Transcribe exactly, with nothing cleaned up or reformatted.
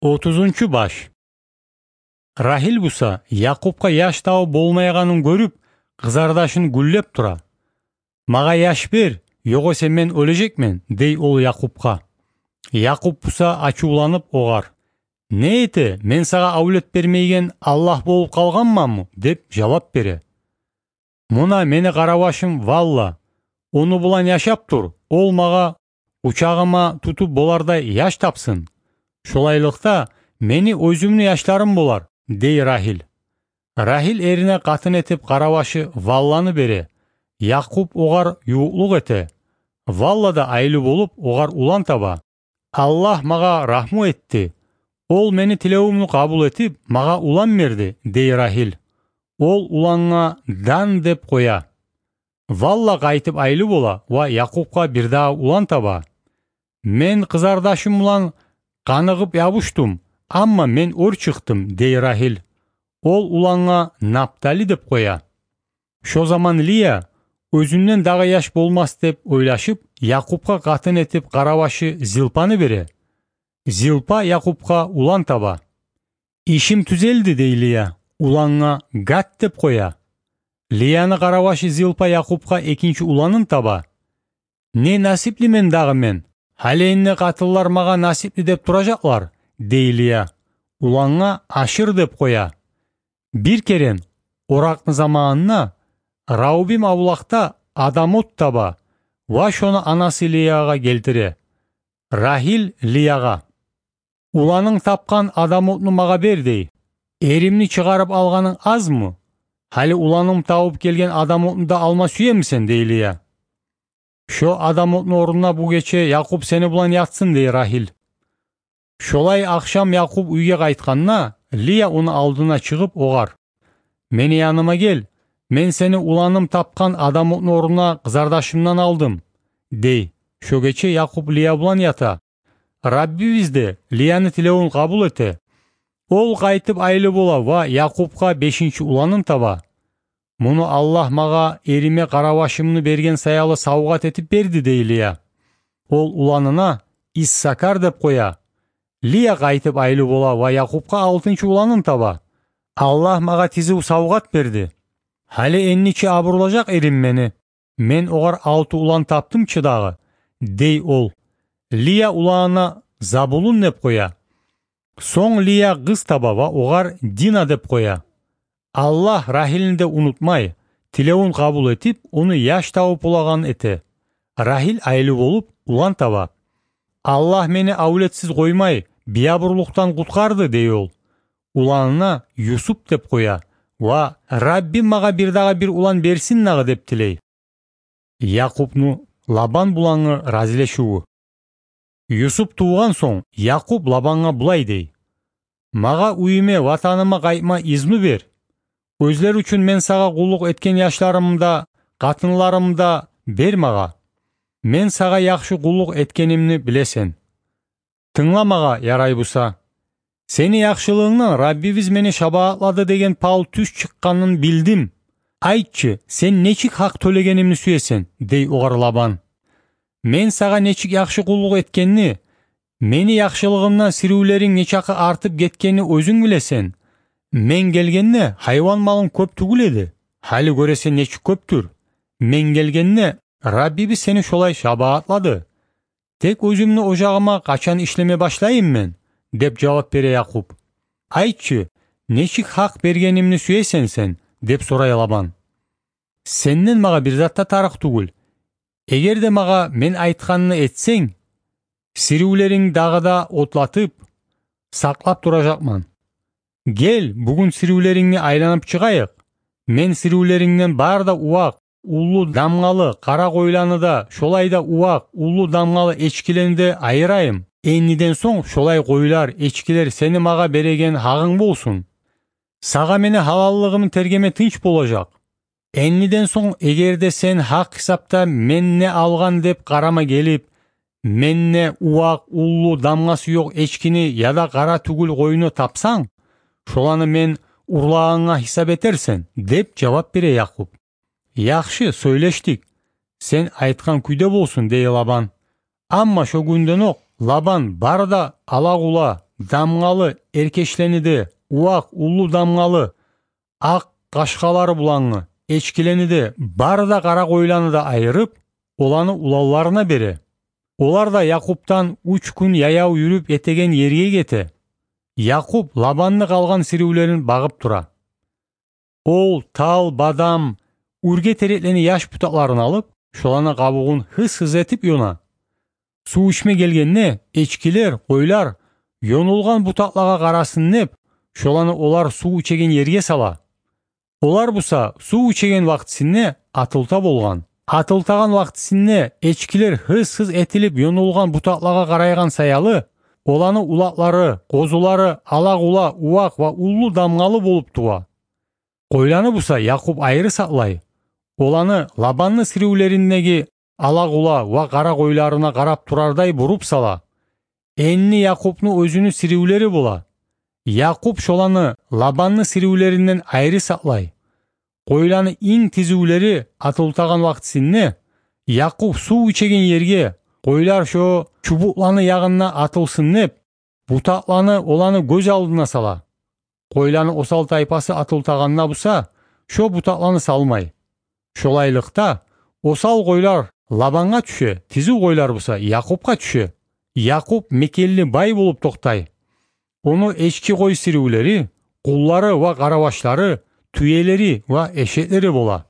Отузунчу баш. Рагьил буса, Якъубгъа яш тавуп болмайгъанын гёрюп, къызардашын гюллеп тура. «Магъа яш бер, ёгъесе мен оьлежекмен», — дей ол Якъубгъа. Якъуб буса ачувланып огъар: «Не эте, мен сагъа авлет бермейген Аллагь болуп къалгъанманмы?» — деп жавап бере. «Муна мени къаравашым Валла, ону булан яшап тур, ол магъа учагъыма тутуп болардай яш тапсын. Шолайлыкъда мени оьзюмню яшларым болар», — дей Рагьил. Рагьил эрине къатын этип къаравашы Валланы бере. Якъуб огъар ювукълукъ эте. Валла да айлы болуп, огъар улан таба. «Аллагь магъа рагьму этди. Ол мени тилевюмню къабул этип, магъа улан берди», — дей Рагьил. Ол улангъа Дан деп къоя. Валла къайтып айлы бола ва Якъубгъа бирдагъы улан таба. «Мен къызардашым булан къаныгъып ябушдум, амма мен оьр чыкъдым», — дей Рагьил. Ол улангъа Наптали деп къоя. Шо заман Лия, оьзюнден дагъы яш болмас деп ойлашып, Якъубгъа къатын этип къаравашы Зилпаны бере. Зилпа Якъубгъа улан таба. «Ишим тюзелди», — дей Лия, улангъа Гат деп къоя. Лияны къаравашы Зилпа Якъубгъа экинчи уланын таба. «Не насиплимен дагъы мен! Гьали энни къатынлар магъа насипли деп туражакълар», — дей Лия. Улангъа Ашир деп къоя. Бир керен, оракъны заманында, Раубим авлакъда адам от таба ва шону анасы Лиягъа гелтире. Рагьил Лиягъа: «Уланынг тапгъан адам отну магъа бер, — дей. — Эримни чыгъарып алгъанынг азмы? Гьали уланым тавуп гелген адам отну да алма сюемисен?» — дей Лия. «Шо адам отну орнуна бу гече Якъуб сени булан ятсын», — дей Рагьил. Шолай ахшам Якъуб уьйге къайтгъанда, Лия ону алдына чыгъып огъар: «Мени яныма гел, мен сени уланым тапгъан адам отну орнуна къызардашымдан алдым», — дей. Шо гече Якъуб Лия булан ята. Раббибиз де Лияны тилевюн къабул эте. Ол къайтып айлы бола ва Якъубгъа бешинчи уланын таба. «Муну Аллагь магъа эриме къаравашымны берген саялы савгъат этип берди», — дей Лия. Ол уланына Иссакар деп къоя. Лия къайтып айлы бола ва Якъубгъа алтынчы уланын таба. «Аллагь магъа тизив савгъат берди. Гьали энни чи абурлажакъ эрим мени. Мен огъар алты улан тапдым чы дагъы», — дей ол. Лия уланына Забулун деп къоя. Сонг Лия къыз таба ва огъар Дина деп къоя. Аллагь Рагьилни де унутмай, тилевюн къабул этип, ону яш тавуп болагъан эте. Рагьил айлы болуп, улан таба. «Аллагь мени авлетсиз къоймай, биябурлукъдан къутгъарды», — дей ол. Уланына Юсуп деп къоя ва «Раббим магъа бирдагъы бир улан берсин дагъы», — деп тилей. Якъубну Лабан булангъы разилешивю. Юсуп тувгъан сонг, Якъуб Лабангъа булай дей: «Магъа уьюме, ватаныма къайтма изну бер. Оьзлер учун мен сагъа къуллукъ этген яшларымны да, къатынларымны да бер магъа. Мен сагъа яхшы къуллукъ этгенимни билесен. Тынгла магъа, ярай буса. Сени яхшылыгъынгдан Раббибиз мени шабаатлады деген пал тюз чыкъгъанын билдим. Айтчы, сен нечик гьакъ тёлегенимни сюесен?» — дей огъар Лабан. «Мен сагъа нечик яхшы къуллукъ этгенни, мени яхшылыгъымдан сиривлеринг нечакъы артып гетгенни оьзюнг билесен. Мен гелгенде гьайван малым кёп тюгюл эди. Гьали гёресен, нечик кёптюр. Мен гелгенде Раббибиз сени шолай шабаатлады. Тек оьзюмню ожагъыма къачан ишлеме башлайым мен?» — деп жавап бере Якъуб. «Айтчы, нечик гьакъ бергенимни сюесен сен?» — деп сорай Лабан. «Сенден магъа бир зат да тарыкъ тюгюл. Эгер де магъа мен айтгъанны этсенг, сиривлеринг дагъы да отлатып, сакълап туражакъман. Гел, бугюн сиривлерингни айланып чыгъайыкъ. Мен сиривлерингден бары да увакъ, уллу дамгъалы къара къойланы да, шолай да увакъ, уллу дамгъалы эчкилени де айырайым. Энниден сонг шолай къойлар, эчкилер сени магъа береген гьагъынг болсун. Сагъа мени гьалаллыгъымны тергеме тынч болажакъ. Энниден сонг, эгер де сен гьакъ гьисапда мен не алгъан деп къарама гелип, мен не увакъ, уллу, дамгъасы ёкъ эчкини яда къара тюгюл къойну тапсанг, шоланы мен урлагъангъа гьисап этерсен», — деп жавап бере Якъуб. «Яхшы, сёйлешдик. Сен айтгъан кюйде болсун», — дей Лабан. Амма шо гюнден окъ Лабан бары да ала-къула, дамгъалы эркешлени де, увакъ, уллу, дамгъалы акъ къашкъалары булангъы эчкилени де, бары да къара къойланы да айырып, оланы уланларына бере. Олар да Якъубдан уьч гюн яяв юрюп етеген ерге гете. Якъуб Лабанны къалгъан сиривлерин багъып тура. Ол тал, бадам, уьрге тереклени яш бутакъларын алып, шоланы къабугъун гьыз-гьыз этип ёна. Сув ичме гелгенде, эчкилер, къойлар ёнулгъан бутакълагъа къарасын деп, шоланы олар сув ичеген ерге сала. Олар буса сув ичеген вакътисинде атылта болгъан. Атылтагъан вакътисинде эчкилер гьыз-гьыз этилип ёнулгъан бутакълагъа къарайгъан саялы, оланы улакълары, къозулары ала-къула, увакъ ва уллу, дамгъалы болуп тува. Къойланы буса Якъуб айры сакълай. Оланы Лабанны сиривлериндеги ала-къула ва къара къойларына къарап турардай буруп сала. Энни Якъубну оьзюню сиривлери бола. Якъуб шоланы Лабанны сиривлеринден айры сакълай. Къойланы инг тизивлери атылтагъан вакътисинде, Якъуб сув ичеген ерге, къойлар шо чубукъланы ягъында атылсын деп, бутакъланы оланы гёз алдына сала. Къойланы осал тайпасы атылтагъанда буса, шо бутакъланы салмай. Шолайлыкъда, осал къойлар Лабангъа тюше, тизив къойлар буса Якъубгъа тюше. Якъуб мекенли бай болуп токътай. Ону эчки, къой сиривлери, къуллары ва къаравашлары, тюелери ва эшеклери бола.